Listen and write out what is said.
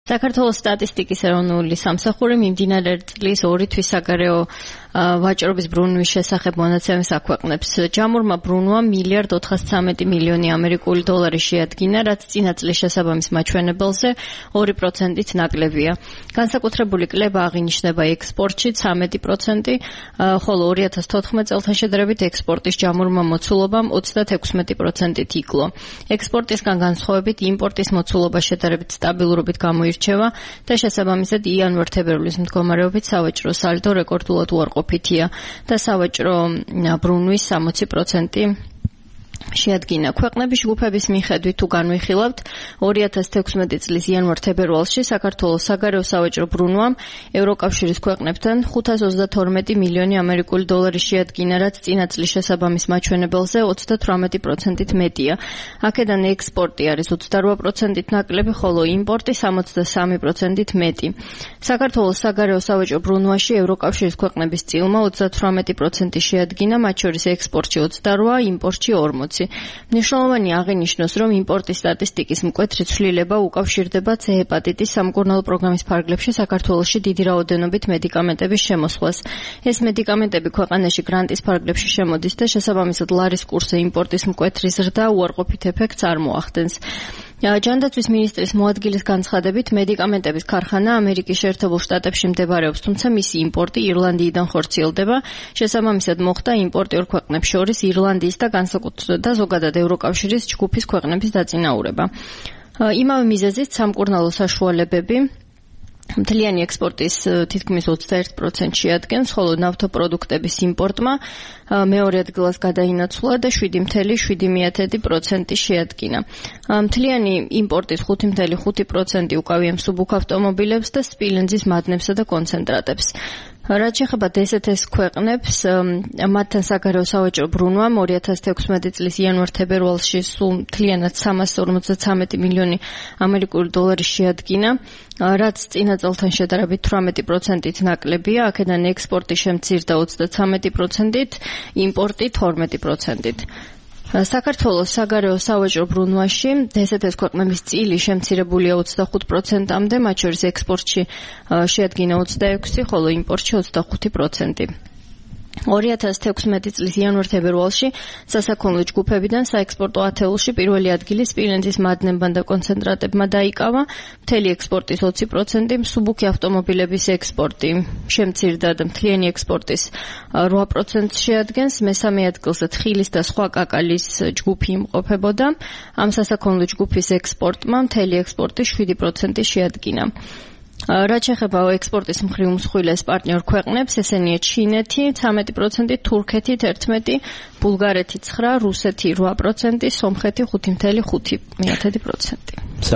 საქართველოს სტატისტიკის ეროვნული სამსახური მიმდინარე წლის 2 თვის საგარეო ვაჭრობის ბრუნვის შესახებ მონაცემებს აქვეყნებს. ჯამურმა ბრუნვამ $1.413 მილიონი ამერიკული დოლარი შეადგინა, რაც წინა წლის შესაბამის მაჩვენებელზე 2%-ით ნაკლებია. განსაკუთრებული კლება აღინიშნება ექსპორტში 13%, ხოლო 2014 წელთან შედარებით ექსპორტის ჯამურმა მოცულობამ 36%-ით იკლო. ექსპორტისგან განსხვავებით იმპორტის მოცულობა შედარებით სტაბილურობით გამოირჩევა და შესაბამისად იანვარ-თებერვლის მდგომარეობით სავაჭრო სალდო რეკორდულად უარყოფითია და სავაჭრო ბრუნვის 60% შეადგინა. ქვეყნების ჯგუფების მიხედვით თუ განვიხილავთ, 2016 წლის იანვარ-თებერვალში საქართველოს საგარეო სავაჭრო ბრუნვამ ევროკავშირის ქვეყნებთან 532 მილიონი ამერიკული დოლარი შეადგინა, რაც წინა წლის შესაბამის მაჩვენებელზე 38%-ით მეტია. აქედან ექსპორტი არის 28%-ით ნაკლები, ხოლო იმპორტი 63%-ით მეტი. საქართველოს საგარეო სავაჭრო ბრუნვაში ევროკავშირის ქვეყნების წილმა 38% შეადგინა, მათ შორის ექსპორტში 28, იმპორტში 40. მნიშვნელოვანი აღინიშნოს, რომ იმპორტის სტატისტიკის მკვეთრი ცვლილება უკავშირდება C ჰეპატიტის სამკურნალო პროგრამის ფარგლებში საქართველოში დიდი რაოდენობით მედიკამენტების შემოსვლას. ეს მედიკამენტები ქვეყანაში გრანტის ფარგლებში შემოდის და შესაბამისად ლარის კურსზე იმპორტის მკვეთრი ზრდა უარყოფით ეფექტს არ მოახდენს. ჯანდაცვის მინისტრის მოადგილის განცხადებით, მედიკამენტების ქარხანა ამერიკის შეერთებულ შტატებში მდებარეობს, თუმცა მისი იმპორტი ირლანდიიდან ხორციელდება. შესაბამისად მოხდა იმპორტიორ ქვეყნებს შორის ირლანდიის და ზოგადად ევროკავშირის ჯგუფის ქვეყნების დაწინაურება. იმავე მიზეზით სამკურნალო საშუალებები მთლიანი ექსპორტის თითქმის 21% შეადგენს, ხოლო ნავთობპროდუქტების იმპორტმა მეორე ადგილას გადაინაცვლა და 7.7% შეადგინა. მთლიანი იმპორტის 5.5% უკავია მსუბუქ ავტომობილებს და სპილენძის მადნებსა და კონცენტრატებს. რაც შეეხება DST-ს ქვეყნებს, მათთან საგარეო სავაჭრო ბრუნვამ 2016 წლის იანვარ-თებერვალში სულ მთლიანად 353 მილიონი ამერიკული დოლარი შეადგინა, რაც წინა წელთან შედარებით 18%-ით ნაკლებია, აქედან ექსპორტი შემცირდა 33%-ით, იმპორტი 12%-ით. საქართველოს საგარეო სავაჭრო ბრუნვაში DST-ს ქვეყნების წილი შემცირებულია 25%-მდე, მათ შორის ექსპორტში შეადგინა 26, ხოლო იმპორტში 25%. 2016 წლის იანვარ-თებერვალში სასაქონლო ჯგუფებიდან საექსპორტო ათეულში პირველი ადგილი სპილენძის მადნებმა და კონცენტრატებმა დაიკავა, მთელი ექსპორტის 20%, მსუბუქი ავტომობილების ექსპორტი შემცირდა და მთლიანი ექსპორტის 8% შეადგენს, მესამე ადგილზე თხილის და სხვა კაკალის ჯგუფი იმყოფებოდა. ამ სასაქონლო ჯგუფის ექსპორტმა მთელი ექსპორტის 7% შეადგინა. რაც შეეხება ექსპორტის მხრივ უმსხვილეს პარტნიორ ქვეყნებს, ესენია ჩინეთი 13%, თურქეთი 11%, ბულგარეთი 9%, რუსეთი 8%, სომხეთი 5.5%.